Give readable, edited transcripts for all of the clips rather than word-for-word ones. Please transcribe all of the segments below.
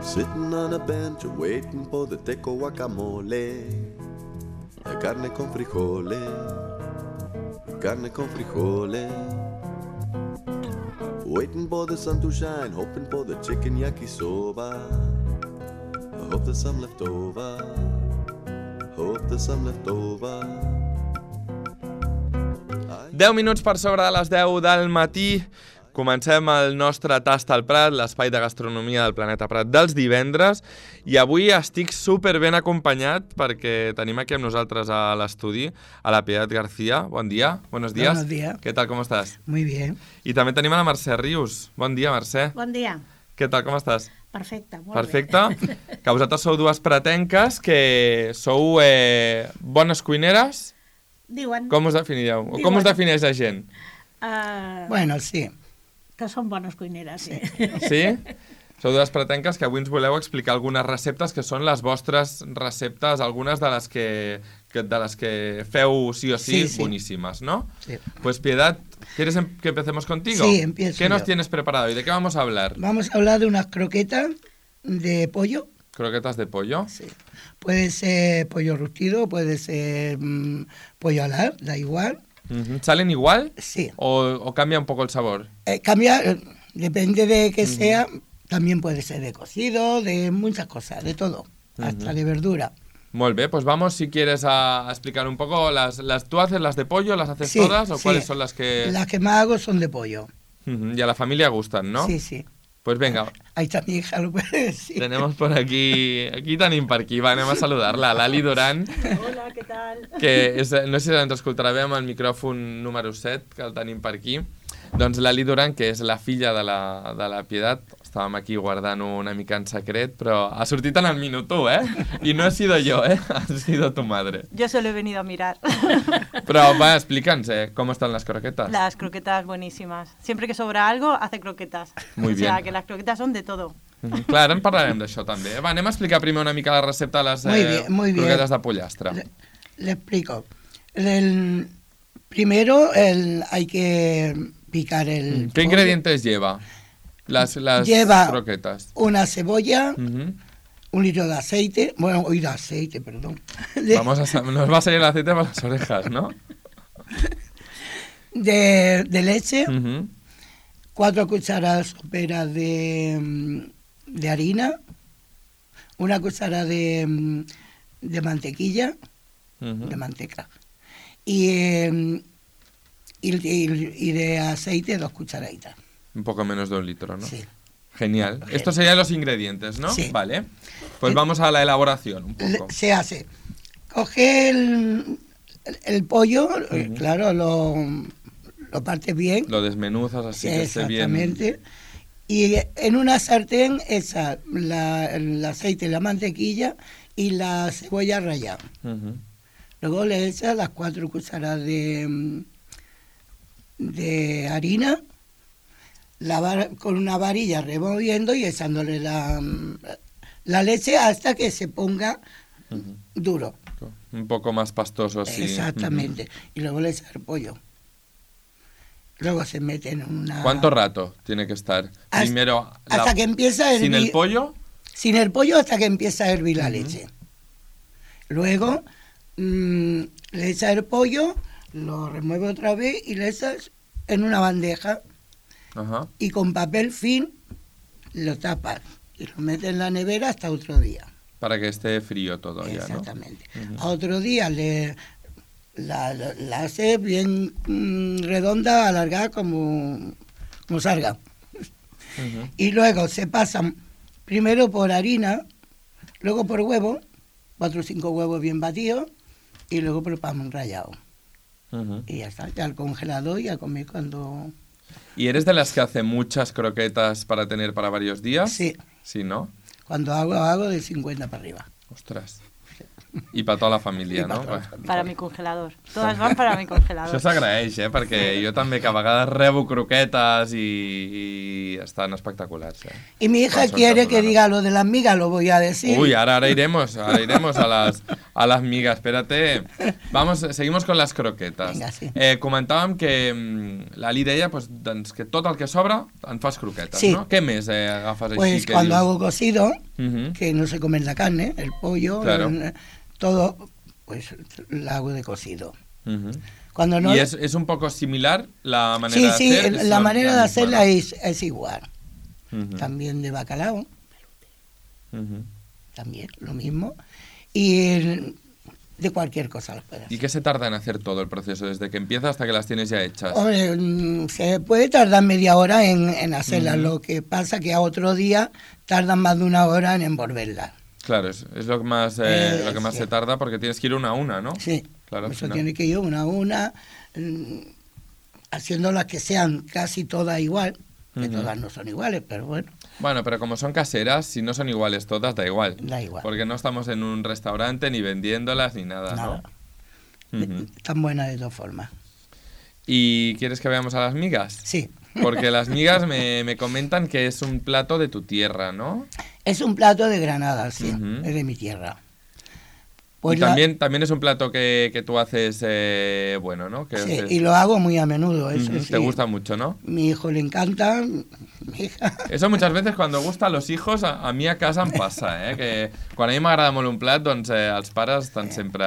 Sitting on a bench waiting for the teco guacamole. Carne con frijoles, carne con frijoles. Waiting for the sun to shine, hoping for the chicken yakisoba. I hope there's some left over, hope there's some left over. 10 minuts per sobre de les 10 del matí. Comencem el nostre Tast al Prat, l'espai de gastronomia del Planeta Prat dels divendres, i avui estic super ben acompanyat perquè tenim aquí amb nosaltres a l'estudi a la Piedad García. Bon dia, buenos días. Buenos días. ¿Qué tal, cómo estás? Muy bien. I també tenim a la Mercè Rius. Bon dia, Mercè. Bon dia. Què tal, com estàs? Perfecte, molt Perfecte. bé. Que vosaltres sou dues pratenques que sou bones cuineres. Diuen Com us definiríeu? O com us defineix la gent? Bueno, sí. que són bones cuineres. Sí. Sí? Sou dues pratenques que avui ens voleu explicar algunes receptes que són les vostres receptes, algunes de les que feu sí o sí, Sí. buenísimas, ¿no? Sí. Pues Piedad, ¿quieres que empecemos contigo? Sí, empiezo ¿Qué nos yo. tienes preparado y de qué vamos a hablar? Vamos a hablar de unas croquetas de pollo. ¿Croquetas de pollo? Sí. Puede ser pollo rustido, puede ser pollo alar, da igual. Ujú. ¿Salen igual? Sí. ¿O cambia un poco el sabor? Cambia, depende de que sea, también puede ser de cocido, de muchas cosas, de todo, hasta de verdura. Molt bé, pues vamos si quieres a explicar un poco. ¿Tú haces las de pollo, las haces Sí, todas o sí. cuáles son las que...? Las que más hago son de pollo. Ujú, y a la familia gustan, ¿no? Sí, sí. Pues venga, Ahí está mi hija, lo puede decir. tenemos por aquí tenim per aquí, va, anem a saludar-la, l'Ali Duran, Hola, què tal? que és, no sé si ens escoltarà bé amb el micròfon número 7, que el tenim per aquí. Doncs l'Ali Duran, que és la filla de la Piedad, estàvem aquí guardant una mica en secret, però ha sortit en el minut 1, I no he sido yo, ha sido tu madre. Yo solo he venido a mirar. Però va, explica'ns, ¿cómo están las croquetas? Las croquetas buenísimas. Siempre que sobra algo, hace croquetas. Muy O sea, bien. que las croquetas son de todo. Clar, ara en parlarem d'això també. Va, anem a explicar primer una mica la recepta de les Muy bien. croquetas de pollastre. Le explico. Primero hay que picar el ¿Qué pollo. ingredientes lleva las Lleva croquetas? una cebolla, Ujú. 1 litro de aceite, de aceite, perdón. Nos va a salir el aceite por las orejas, ¿no? De leche, Ujú. 4 cucharadas soperas de harina, 1 cucharada de mantequilla, Ujú. de manteca, y de aceite 2 cucharaditas. Un poco menos de 1 litro, ¿no? Sí. Genial. Estos serían los ingredientes, ¿no? Sí. Vale. Pues vamos a la elaboración un poco. Se hace. Coge el pollo, claro, lo partes bien. Lo desmenuzas así que esté bien. Exactamente. Y en una sartén echa el aceite, la mantequilla y la cebolla rallada. Ujú. Luego le echas las 4 cucharadas de harina, con una varilla removiendo y echándole la leche hasta que se ponga duro. Un poco más pastoso, sí. Exactamente. Y luego le echas el pollo. Luego se mete en una... ¿Cuánto rato tiene que estar? Primero, hasta que empieza a hervir. ¿sin el pollo? Sin el pollo hasta que empieza a hervir la leche. Luego le echas el pollo, lo remueve otra vez y le echas en una bandeja Ajá. y con papel film lo tapas y lo metes en la nevera hasta otro día. Para que esté frío todo ya, ¿no? Exactamente. Ujú. A otro día la haces bien redonda, alargada como salga. Ujú. Y luego se pasan primero por harina, luego por huevo, 4 o 5 huevos bien batidos, y luego por pan rallado. Ujú. Y ya está, ya al congelador y a comer cuando... ¿Y eres de las que hace muchas croquetas para tener para varios días? Sí, Sí, ¿no? cuando hago de 50 para arriba. Ostras. I per tota la família, I per no? tota la família. Para mi congelador. Todas van para mi congelador. Això s'agraeix, perquè jo també que a vegades rebo croquetes i estan espectaculars, Y mi hija Son quiere que tabulares. diga lo de las migas, lo voy a decir. Uy, ahora iremos a las migas. Espérate. Seguimos con las croquetes. Vinga, sí. Comentàvem que l'Ali deia doncs, que tot el que sobra en fas croquetes, Sí. no? Què més agafes Pues així? Que cuando dius? hago cocido, que no se comen la carne, el pollo, Claro. todo, pues la hago de cocido. Ujú. Cuando no... ¿Y es un poco similar la manera Sí, de sí, hacer? Es la manera de misma, hacerla ¿no? es igual. Ujú. También de bacalao, Ujú. también lo mismo. Y de cualquier cosa las puedes ¿Y hacer. qué se tarda en hacer todo el proceso, desde que empieza hasta que las tienes ya hechas? Hombre, se puede tardar media hora en hacerlas, lo que pasa que a otro día tardan más de una hora en envolverlas. Claro, es lo que más, Sí. se tarda porque tienes que ir una a una, ¿no? Sí, Claro, al eso final. tiene que ir una a una, haciéndolas que sean casi todas igual, que Ujú. todas no son iguales, pero bueno, Bueno, pero como son caseras, si no son iguales todas, da igual. da igual. Porque no estamos en un restaurante ni vendiéndolas ni nada, Nada. ¿no? Ujú. Están buenas de todas formas. ¿Y quieres que veamos a las migas? Sí, Porque las migas me comentan que es un plato de tu tierra, ¿no? es un plato de Granada, sí, Ujú. es de mi tierra. Y Pues también es un plato que tú haces, bueno, ¿no? Que sí, haces- y lo hago muy a menudo, eso Ujú, sí. Te gusta mucho, ¿no? Mi hijo le encanta, mi hija. Eso muchas veces cuando gusta a los hijos, a mi a casa em passa, que quan a mi m'agrada molt un plat, doncs els pares estan sempre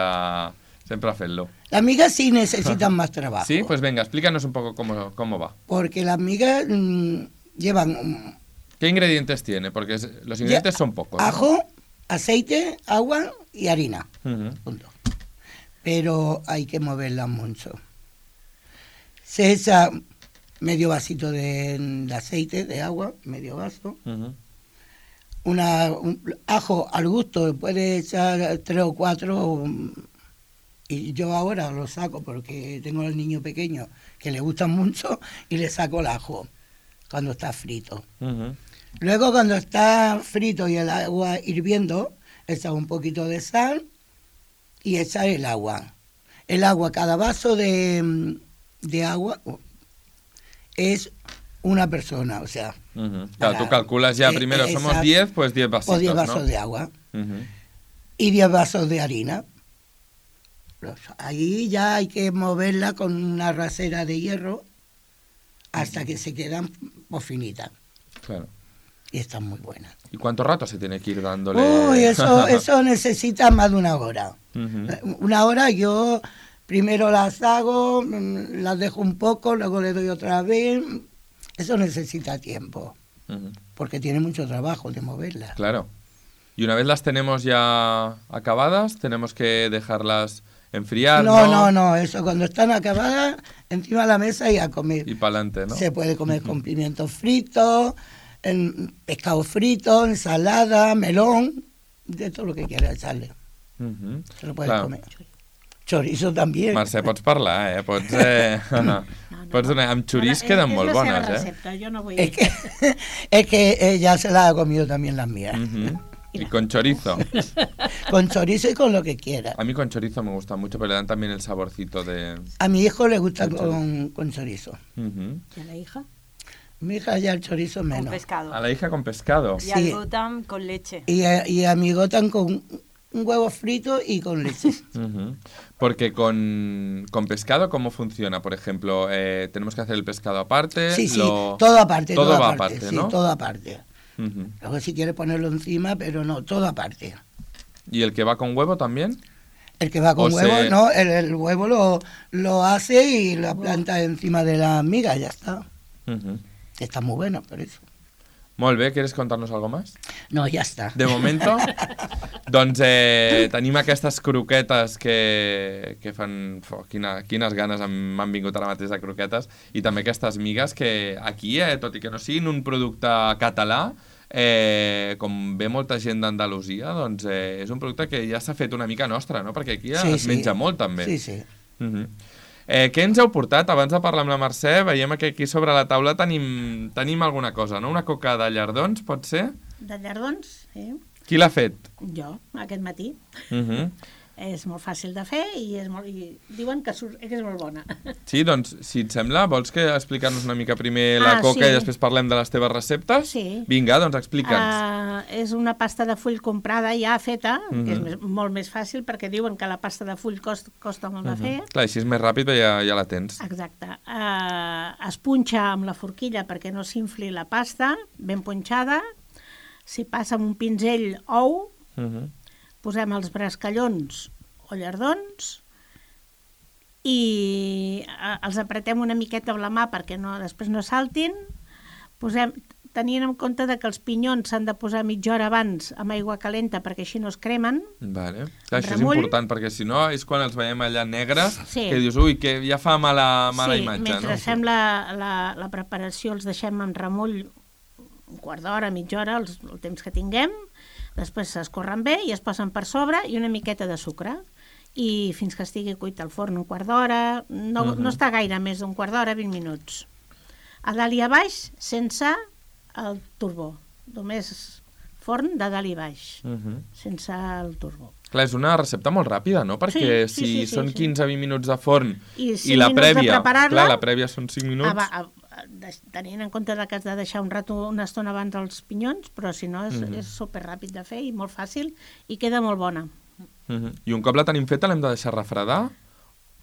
fent-lo. Las migas sí necesitan más trabajo. Sí, pues venga, explícanos un poco cómo va. Porque las migas llevan ¿Qué ingredientes tiene? Porque los ingredientes son pocos, ¿no? ajo, aceite, agua y harina. Ujú. Punto. Pero hay que moverlas mucho. Se echa medio vasito de aceite, de agua, medio vaso. Ujú. Un ajo al gusto, puede echar 3 o 4. Y yo ahora lo saco porque tengo al niño pequeño que le gustan mucho y le saco el ajo cuando está frito. Ujú. Luego cuando está frito y el agua hirviendo, echa un poquito de sal y echa el agua. El agua, cada vaso de agua es una persona, o sea, Ujú. Claro, tú calculas ya primero, somos exacto. 10, pues 10 vasitos, o 10 vasos ¿no? de agua Ujú. y 10 vasos de harina. Ahí ya hay que moverla con una rasera de hierro hasta que se quedan pues, finitas. Claro. Y están muy buenas. ¿Y cuánto rato se tiene que ir dándole? Uy, eso necesita más de una hora. Ujú. Una hora yo primero las hago, las dejo un poco, luego le doy otra vez. Eso necesita tiempo, Ujú. porque tiene mucho trabajo de moverlas. Claro. Y una vez las tenemos ya acabadas, tenemos que dejarlas enfriar, No, eso cuando están acabadas, encima de la mesa y a comer. Y para adelante, ¿no? Se puede comer con pimientos fritos, pescado frito, ensalada, melón, de todo lo que quieras echarle. Ujú. Se lo puedes Clar. comer. Chorizo también. Mercè, pots parlar, Pots, pots donar... Amb xoriç queden molt És la seva bones, recepta, jo no vull... Es que ella se la ha comido también las mías. Ujú. Y con chorizo. Con chorizo y con lo que quiera. A mí con chorizo me gusta mucho, pero le dan también el saborcito de... A mi hijo le gusta Con con chorizo. Ujú. ¿Y a la hija? Mi hija ya el chorizo Con menos. pescado. A la hija con pescado. Y Sí. al gotam con leche. Y a mi gotan con un huevo frito y con leche. Ujú. Porque con pescado, ¿cómo funciona? Por ejemplo, tenemos que hacer el pescado aparte. Sí, todo aparte. Todo va aparte, aparte, sí, ¿no? todo aparte. Ujú. Luego si quiere ponerlo encima, pero no, todo aparte. ¿Y el que va con huevo también? El que va con O huevo, se- no, el huevo lo hace y lo planta encima de la miga, ya está. Ujú. Está muy bueno, por eso. Molt bé, ¿quieres contarnos algo más? No, ya está. De momento, doncs tenim aquestes croquetes que fan... Quines ganes m'han vingut ara mateix de croquetes, i també aquestes migues que aquí, tot i que no siguin un producte català, com ve molta gent d'Andalusia, doncs és un producte que ja s'ha fet una mica nostra, no? Perquè aquí es menja molt també. Sí, sí. Què ens heu portat? Abans de parlar amb la Mercè, veiem que aquí sobre la taula tenim alguna cosa, no? Una coca de llardons, pot ser? De llardons, sí. Qui l'ha fet? Jo, aquest matí. És molt fàcil de fer i diuen que és molt bona. Sí, doncs, si et sembla, vols que explicar-nos una mica primer la coca sí. i després parlem de les teves receptes? Sí. Vinga, doncs explica'ns. És una pasta de full comprada ja feta, que és molt més fàcil perquè diuen que la pasta de full costa molt de fer. Clar, així és més ràpid, però ja la tens. Exacte. Es punxa amb la forquilla perquè no s'infli la pasta, ben punxada. s'hi passa amb un pinzell ou, Mhm. posem els brascallons o llardons i els apretem una miqueta amb la mà perquè després no saltin. Tenint en compte que els pinyons s'han de posar mitja hora abans amb aigua calenta perquè així no es cremen. Vale. Clar, això és Remull. important, perquè si no és quan els veiem allà negres, Sí. que dius, ui, que ja fa mala imatge, mentre no? fem la preparació els deixem en remull un quart d'hora, mitja hora, el temps que tinguem. Després s'escorren bé i es posen per sobre i una miqueta de sucre. I fins que estigui cuit al forn un quart d'hora, no està gaire més d'un quart d'hora, 20 minuts. A dalt i a baix, sense el turbo. Només forn de dalt i baix, sense el turbo. Clar, és una recepta molt ràpida, no? Perquè Sí, si són sí. 15-20 minuts de forn I 5 i la minuts de prèvia, preparar-la, clar, la prèvia són 5 minuts. Tenint en compte que has de deixar una estona abans els pinyons, però si no és superràpid de fer i molt fàcil i queda molt bona. I un cop la tenim feta l'hem de deixar refredar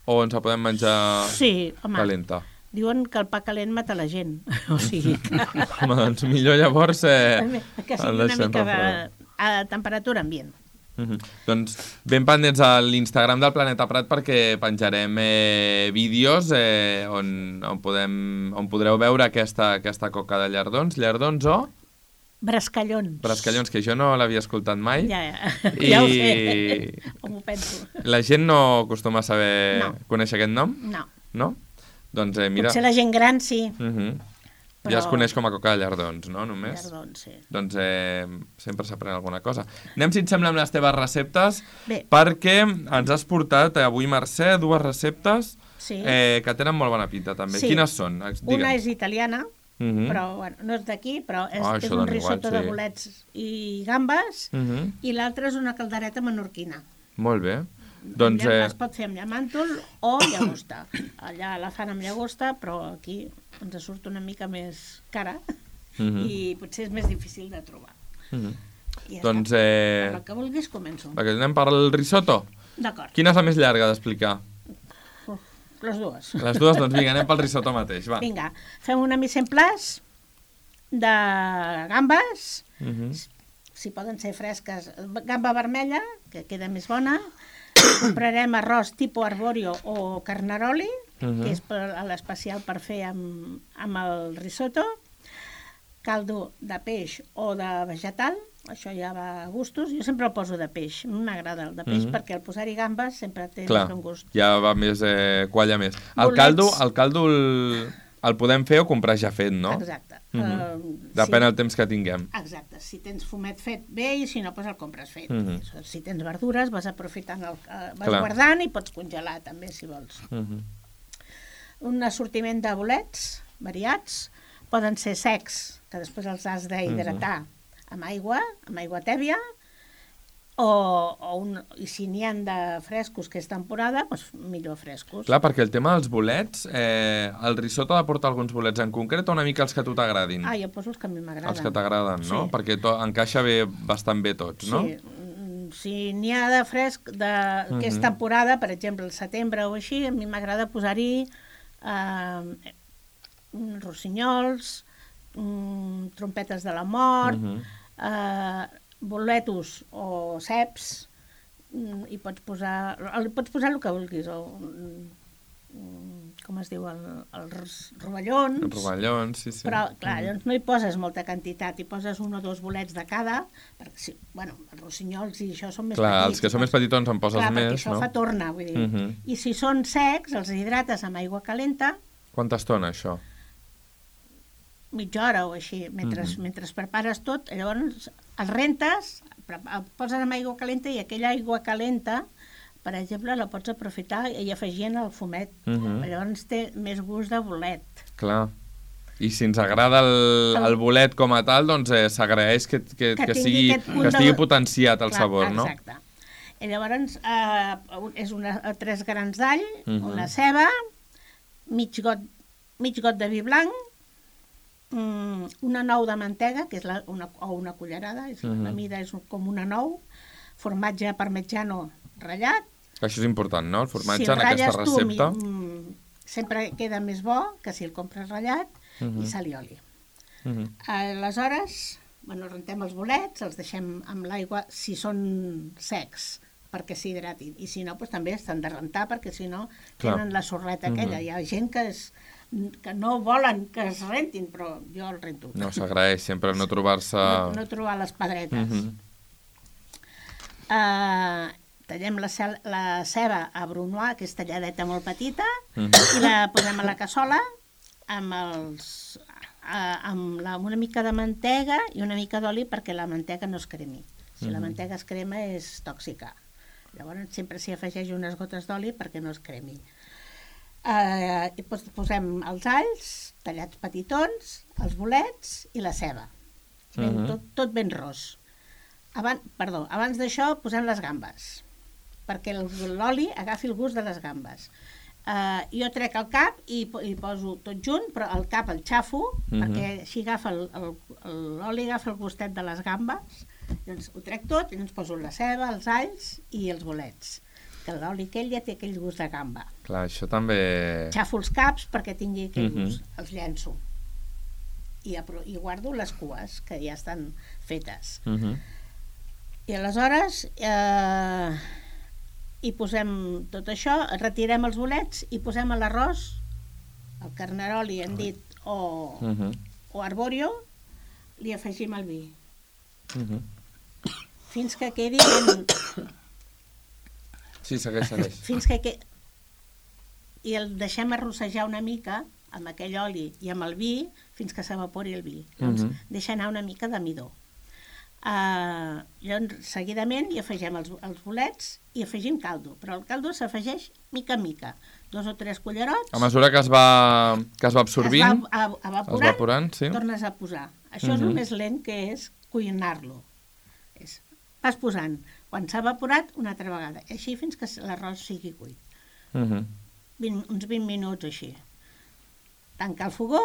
o ens la podem menjar Sí, home, calenta? diuen que el pa calent mata la gent. O sigui que, Home, doncs millor llavors que sigui el una deixem mica refredar. a temperatura ambient. Doncs ben pendents a l'Instagram del Planeta Prat perquè penjarem vídeos on podreu veure aquesta coca de llardons o Brascallons. brascallons, que jo no l'havia escoltat mai. Ja ho sé, com ho penso. La gent no acostuma a saber No. conèixer aquest nom? No, No? Doncs mira... potser la gent gran sí. Ja es però- coneix com a coca de llardons, no? Només? Llardons, sí. Doncs sempre s'aprèn alguna cosa. Anem, si et sembla, amb les teves receptes, Bé. perquè ens has portat avui, Mercè, 2 receptes Sí. que tenen molt bona pinta, també. Sí. Quines són? Una és italiana, Mhm. però bueno, no és d'aquí, però és Ah, això un dona igual, risotto sí. de bolets i gambes, Mhm. i l'altra és una caldereta menorquina. Molt bé. Doncs, Es pot fer amb llamàntol o llagosta. Allà la fan amb llagosta, però aquí ens surt una mica més cara i potser és més difícil de trobar. I ja doncs està. Per el que vulguis, començo. anem per el risotto. D'acord, Quina és la més llarga d'explicar? les dues. Les dues, doncs vinga, anem pel risotto mateix, va. Vinga, fem una mise en place de gambes, si poden ser fresques, gamba vermella, que queda més bona. Comprarem arròs tipus arborio o carnaroli, que és l'especial per fer amb el risotto. Caldo de peix o de vegetal, això ja va a gustos. Jo sempre el poso de peix, a mi m'agrada el de peix perquè al posar-hi gambes sempre té Clar, més un gust. ja va més, qualla més. El Bolets. caldo el podem fer o comprar ja fet, no? Exacte. Depèn del temps que tinguem. Exacte, si tens fumet fet bé i si no, doncs el compres fet. Si tens verdures vas aprofitant, vas Clar. guardant i pots congelar també si vols. Un assortiment de bolets variats, poden ser secs, que després els has d'hidratar amb aigua tèbia, i si n'hi ha de frescos, que és temporada, doncs millor frescos. Clar, perquè el tema dels bolets, el risotto ha de portar alguns bolets en concret o una mica els que a tu t'agradin? Jo poso els que a mi m'agraden. Els que t'agraden, no? Sí. Perquè encaixa bé, bastant bé tots, no? Sí, si n'hi ha de fresc, que és temporada, per exemple, el setembre o així, a mi m'agrada posar-hi rossinyols, trompetes de la mort, boletos o ceps, i pots posar el que vulguis, com es diu, els rovellons. Els rovellons, sí. Però, clar, llavors no hi poses molta quantitat, hi poses 1 o 2 bolets de cada, perquè, els rossinyols i això són més petits. Clar, els que són més petitons en poses clar, més, perquè això no? fa torna, vull dir. I si són secs, els hidrates amb aigua calenta, Quanta estona, això? mitja hora o així, mentre prepares tot, llavors els rentes, el poses amb aigua calenta i aquella aigua calenta, per exemple, la pots aprofitar i afegir el fumet. Llavors té més gust de bolet. Clar. I si ens agrada el bolet com a tal, doncs s'agraeix que estigui potenciat el sabor, no? Exacte. I llavors és 3 grans d'all, una ceba, mig got de vi blanc, una nou de mantega, que és una cullerada, la mida és com una nou, formatge parmigiano ratllat. Això és important, no? El formatge si en aquesta recepta. Sempre queda més bo que si el compres ratllat, i sal i oli. Aleshores, rentem els bolets, els deixem amb l'aigua si són secs, perquè s'hidratin. I si no, doncs també estan de rentar, perquè si no tenen la sorreta aquella. Hi ha gent que no volen que es rentin, però jo el rento. No, s'agraeix sempre no trobar-se... No trobar les pedretes. Tallem la ceba a brunoise, que és talladeta molt petita, i la posem a la cassola amb una mica de mantega i una mica d'oli perquè la mantega no es cremi. Si la mantega es crema és tòxica. Llavors sempre s'hi afegeix unes gotes d'oli perquè no es cremi. I posem els alls tallats petitons, els bolets i la ceba. Tot ben ros. Abans d'això posem les gambes, perquè l'oli agafi el gust de les gambes. Jo trec el cap i poso tot junt, però el cap el xafo, perquè així l'oli agafa el gustet de les gambes. Llavors ho trec tot i ens poso la ceba, els alls i els bolets, que l'oli aquell ja té aquell gust de gamba. Clar, això també... Xafo els caps perquè tingui aquell gust, els llenço i guardo les cues que ja estan fetes. I aleshores hi posem tot això, retirem els bolets i posem a l'arròs el carnaroli, hem dit, o arborio, li afegim el vi. Fins que quedi Sí, segueix. fins que i el deixem arrossejar una mica amb aquell oli i amb el vi fins que s'evapori el vi. Llavors deixa anar una mica de midó. Llavors seguidament hi afegim els bolets i afegim caldo, però el caldo s'afegeix mica en mica, 2 o 3 cullerots. A mesura que es va absorbint, evaporant, sí. Tornes a posar. Això és el més lent que és cuinar-lo. Vas posant, quan s'ha evaporat, una altra vegada, així fins que l'arròs sigui cuit. Uns 20 minuts així. Tancar el fogó,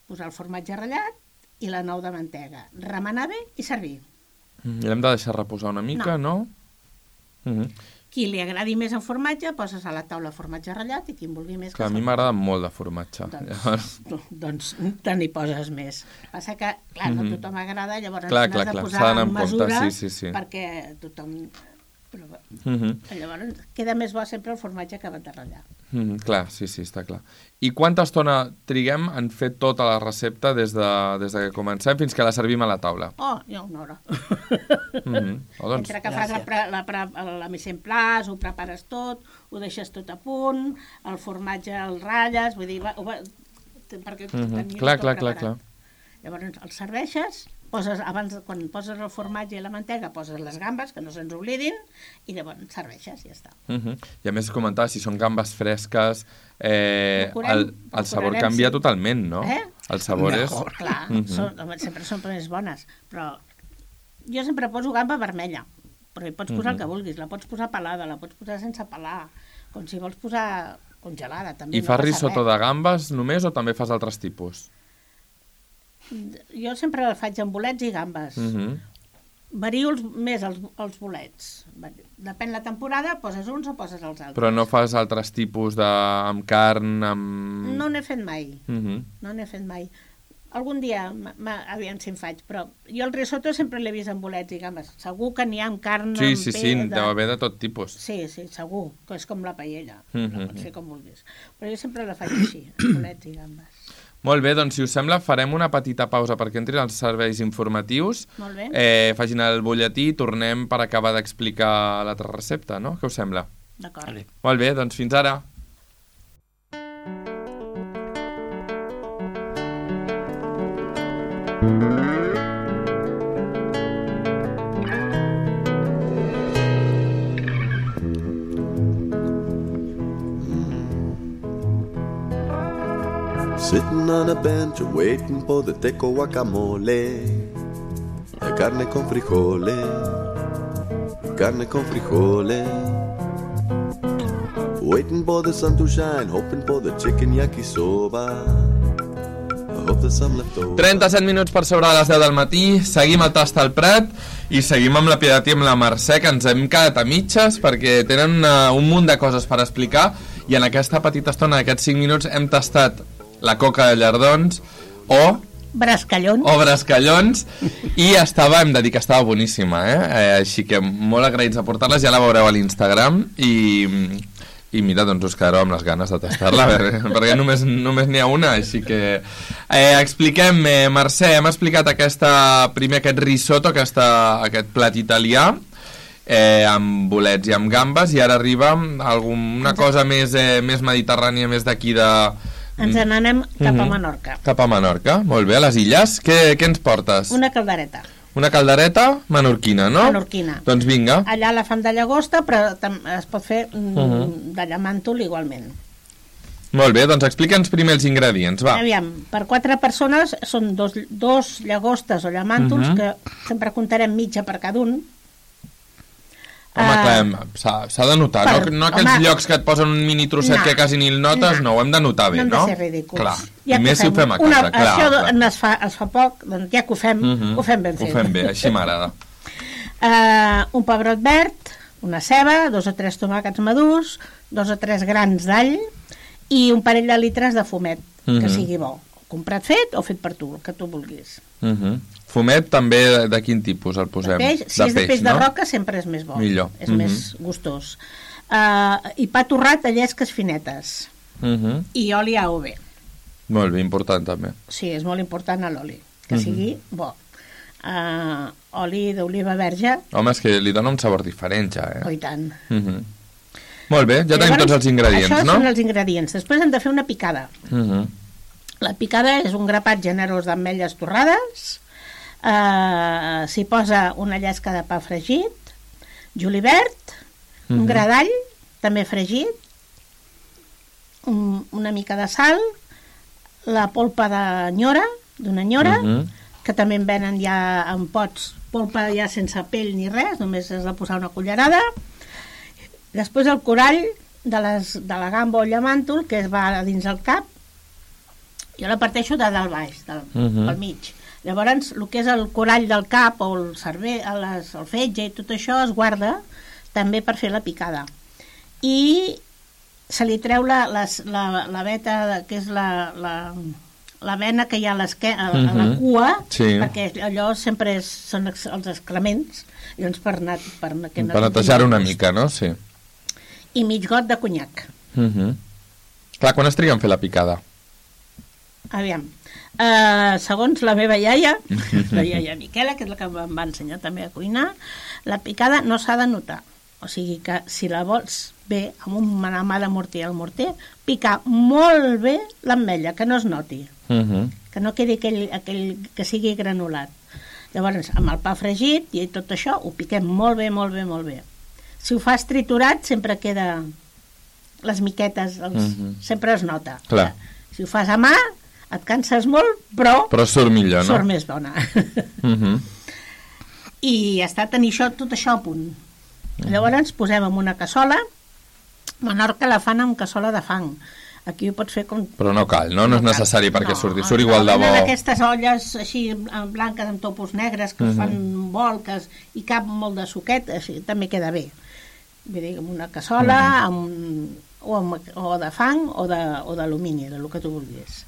posar el formatge ratllat i la nou de mantega. Remenar bé i servir. I l'hem de deixar reposar una mica, no? Qui li agradi més el formatge, poses a la taula formatge ratllat i qui en vulgui més... Clar, a mi m'agrada molt de formatge. Doncs te n'hi poses més. Passa que, clar, no tothom agrada, llavors n'has de posar en mesura sí. perquè tothom... Llavors queda més bo sempre el formatge acabat de ratllar. Clar, sí, està clar. I quanta estona triguem en fer tota la recepta des que comencem fins que la servim a la taula? Ja una hora. Doncs, entre que fas la mise en place, ho prepares tot, ho deixes tot a punt, el formatge el ratlles, vull dir, perquè tenies tot preparat. Clar. Llavors el serveixes, quan poses el formatge i la mantega, poses les gambes, que no se'ns oblidin, i llavors serveixes i ja està. I a més comentar, si són gambes fresques, el sabor canvia totalment, no? El sabor és... Clar, sempre són més bones, però jo sempre poso gamba vermella, però hi pots posar el que vulguis, la pots posar pelada, la pots posar sense pelar, com si vols posar congelada, també. I fas risotto de gambes només o també fas altres tipus? Jo sempre el faig amb bolets i gambes. Vario més els bolets. Depèn la temporada, poses uns o poses els altres. Però no fas altres tipus amb carn, amb... No n'he fet mai. No n'he fet mai. Algun dia, aviam si en faig, però jo el risotto sempre l'he vist amb bolets i gambes. Segur que n'hi ha amb carn, amb pell... Sí, deu haver de tot tipus. Sí, segur, que és com la paella. La pots fer com vulguis. Però jo sempre la faig així, amb bolets i gambes. Molt bé, doncs si us sembla farem una petita pausa perquè entrin els serveis informatius. Molt bé. Facin el butlletí i tornem per acabar d'explicar l'altra recepta, no? Què us sembla? D'acord. Molt bé, doncs fins ara. Sitting on a bench waiting for the teco guacamole, carne con frijole, waiting for the sun to shine, hoping for the chicken yakisoba. 37 minuts per sobre de les 10 del matí, seguim a Tast al Prat i seguim amb la Pietat i amb la Mercè, que ens hem quedat a mitges perquè tenen un munt de coses per explicar, i en aquesta petita estona, d'aquests 5 minuts, hem tastat la coca de llardons o Brascallons. O brascallons. I hem de dir que estava boníssima, així que molt agraïts de portar-les, ja la veureu a l'Instagram i mira, doncs us quedareu amb les ganes de tastar-la, perquè només n'hi ha una, així que expliquem, Mercè, hem explicat primer aquest risotto, aquest plat italià, amb bolets i amb gambes, i ara arriba una cosa més mediterrània, més d'aquí de... Ens n'anem cap a Menorca. Cap a Menorca, molt bé, a les illes. Què ens portes? Una caldereta. Una caldereta menorquina, no? Menorquina. Doncs vinga. Allà la fan de llagosta, però es pot fer de llamàntol igualment. Molt bé, doncs explica'ns primer els ingredients, va. Aviam, per 4 persones són dos llagostes o llamàntols, que sempre comptarem mitja per cada un. Home, clar, s'ha de notar, no aquells llocs que et posen un mini trosset que quasi ni el notes, no, ho hem de notar bé, no? No hem de ser ridículs. Clar, i més si ho fem a casa, clar. Això es fa poc, doncs ja que ho fem ben fet. Ho fem bé, així m'agrada. Un pebrot verd, una ceba, 2 o 3 tomàquets madurs, 2 o 3 grans d'all i un parell de litres de fumet, que sigui bo. Comprat fet o fet per tu, el que tu vulguis. Fumet també de quin tipus el posem? Si és de peix de roca sempre és més bo. Millor. És més gustós. I pa torrat de llesques finetes. I oli AOV. Molt bé, important també. Sí, és molt important l'oli, que sigui bo. Oli d'oliva verge. Home, és que li dona un sabor diferent ja, Oh, i tant. Molt bé, ja tenim tots els ingredients, no? Això són els ingredients. Després hem de fer una picada. La picada és un grapat generós d'ametlles torrades. S'hi posa una llesca de pa fregit, julivert, un gra d'all, també fregit, una mica de sal, la polpa d'una nyora, que també en venen ja en pots, polpa ja sense pell ni res, només has de posar una cullerada. Després el corall de la gamba o llamàntol, que es va dins el cap, jo la parteixo de dalt baix, pel mig. Llavors, el que és el corall del cap o el cervell, el fetge i tot això es guarda també per fer la picada. I se li treu la veta, que és la vena que hi ha a la cua, perquè allò sempre són els excrements, llavors per netejar una mica, no? Sí. I mig got de conyac. Clar, quan es triga en fer la picada? Aviam, segons la meva iaia, la iaia Miquela, que és la que em va ensenyar també a cuinar, la picada no s'ha de notar. O sigui que si la vols bé, amb una mà de morter al morter, picar molt bé l'ametlla, que no es noti, que no quedi aquell que sigui granulat. Llavors, amb el pa fregit i tot això, ho piquem molt bé, molt bé, molt bé. Si ho fas triturat, sempre queda les miquetes, sempre es nota. Clar. Si ho fas a mà, et canses molt, però surt millor, no? Surt més bona. I ja està, tenir tot això a punt. Llavors posem en una cassola. A Menorca la fan amb cassola de fang. Aquí ho pots fer com... Però no cal, no? No és necessari perquè surti. Surt igual de bo. Aquestes olles així blanques amb topos negres que fan volques i cap molt de suquet, així també queda bé. Vull dir, amb una cassola o de fang o d'alumini, del que tu vulguis.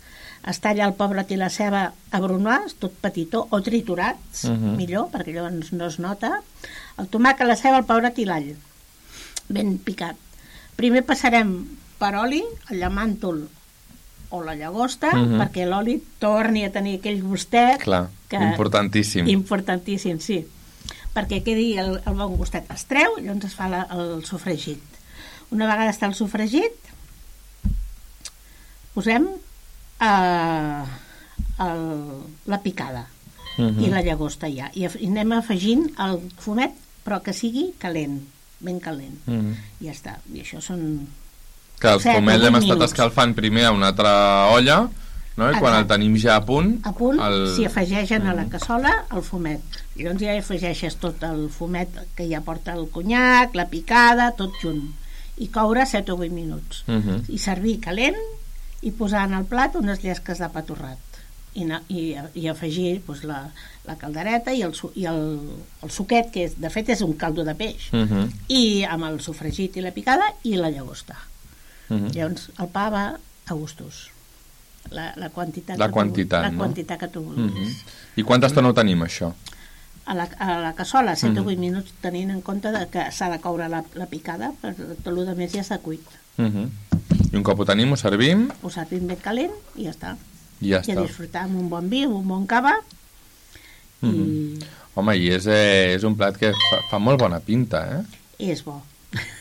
Es talla el pebrot i la ceba a brunars, tot petitó, o triturats, millor, perquè llavors no es nota. El tomàquet, la ceba, el pebrot i l'all, ben picat. Primer passarem per oli, el llamàntol o la llagosta, perquè l'oli torni a tenir aquell gustet. Clar, importantíssim. Importantíssim, sí. Perquè quedi el bon gustet. Es treu i llavors es fa el sofregit. Una vegada està el sofregit, posem la picada i la llagosta ja. I anem afegint el fumet, però que sigui calent, ben calent. I ja està. I això són... Que el fumet l'hem estat escalfant primer a una altra olla, no? I quan el tenim ja a punt... A punt, s'hi afegeixen a la cassola el fumet. I llavors ja afegeixes tot el fumet que ja porta el conyac, la picada, tot junt. I coure 7 o 8 minuts. I servir calent i posar en el plat unes llesques de pa torrat i afegir doncs, la caldereta i el suquet, que de fet és un caldo de peix, i amb el sofregit i la picada i la llagosta. Llavors el pa va a gustos. la quantitat, La quantitat, la no? quantitat que tu vulguis. I quanta estona ho tenim, això? A la cassola, 7 o 8 minuts, tenint en compte que s'ha de coure la picada, però tot el que més ja està cuit. I un cop ho tenim, ho servim Ho servim ben calent i ja està. i ja I a està. disfrutar amb un bon vi, amb un bon cava. I Home, i és un plat que fa molt bona pinta, eh? és bo.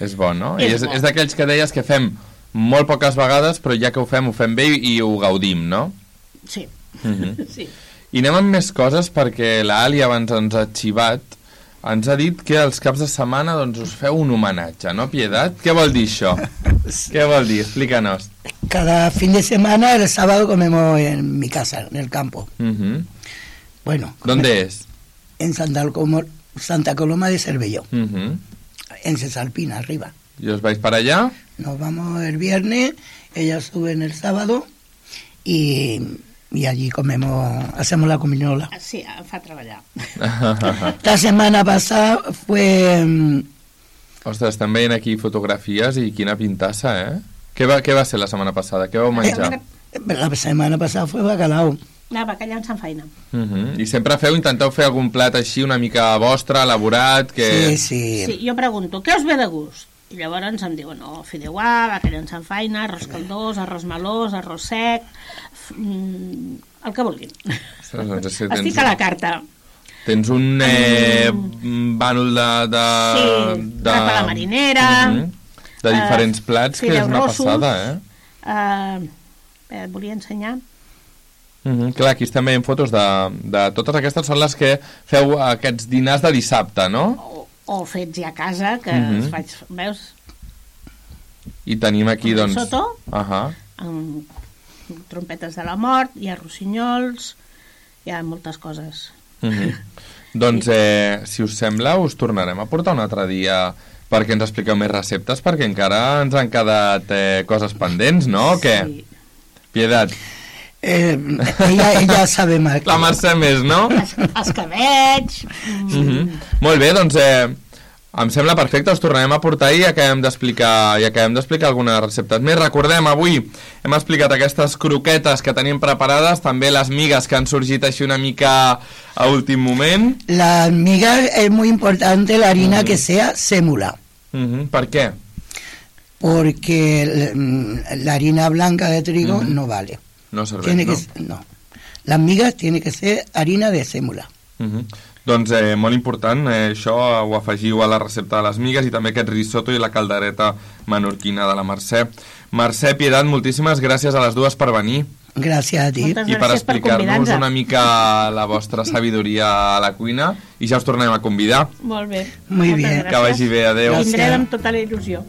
És bo, no? És I bo. és d'aquells que deies que fem molt poques vegades, però ja que ho fem bé i ho gaudim, no? Sí, sí. I anem amb més coses perquè l'Ali abans ens ha xivat, ens ha dit que els caps de setmana doncs, us feu un homenatge, no, Pietat? Què vol dir això? Què vol dir? Explícanos. Cada fin de semana, el sábado, comemos en mi casa, en el campo. Bueno, ¿Dónde es? en Santa Coloma de Cervelló, en Cesalpina, arriba. ¿Y os vais para allá? Nos vamos el viernes, ellas suben el sábado y allí hacemos la cominola. Sí, em fa treballar. La semana pasada fue... Ostres, estem veient aquí fotografies i quina pintassa, eh? Què va ser la setmana passada? Què vau menjar? La semana pasada fue bacalao. Bacallà amb faina. I sempre intenteu fer algun plat així una mica vostre, elaborat, que... Sí. Jo pregunto, què us ve de gust? I llavors em diuen, fideuà, bacallà amb faina, arròs caldós, arròs melós, arròs sec, el que vulguin. Ostres, doncs és que Estic a la carta. Tens un bànol de... Sí, rapa a la marinera... De diferents plats, que és una passada, eh? Et volia ensenyar. Clar, aquí estem veient fotos de totes aquestes, són les que feu aquests dinars de dissabte, no? O fets ja a casa, que els faig, veus? I tenim aquí, doncs... Soto, amb trompetes de la mort, hi ha rossinyols, hi ha moltes coses. Doncs, si us sembla, us tornarem a portar un altre dia perquè ens expliqueu més receptes, perquè encara ens han quedat coses pendents, no? O què? Sí. Pietat. Ella sabe más. La Mercè més, no? Els que veig... Molt bé, doncs em sembla perfecte, us tornarem a portar i acabem d'explicar algunes receptes més. Recordem, avui hem explicat aquestes croquetes que tenim preparades, també les migues que han sorgit així una mica a últim moment. Las migas es muy importante la harina que sea sémula. ¿Por qué? Porque la harina blanca de trigo no vale. No serveix, no? Las migas tiene que ser harina de sémula. Doncs molt important, això ho afegiu a la recepta de les migues i també aquest risotto i la caldereta menorquina de la Mercè. Mercè, Pietat, moltíssimes gràcies a les dues per venir. Gràcies a ti. Moltes I per gràcies per explicar-nos convidar-nos. una mica la vostra sabidoria a la cuina i ja us tornem a convidar. Molt bé. Muy Moltes bien. gràcies. Que vagi bé, adeu. Vindrem amb tota la il·lusió.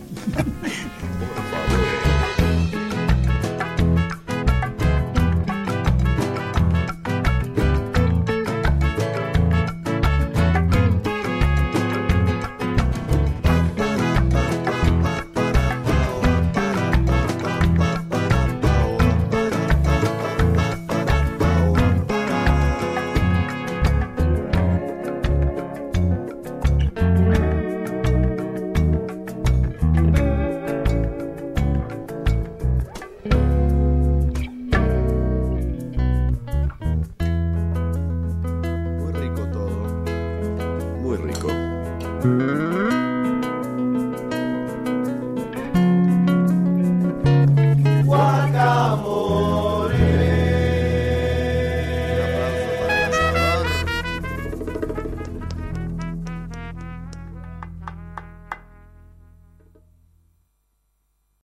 Muy rico todo. Muy rico.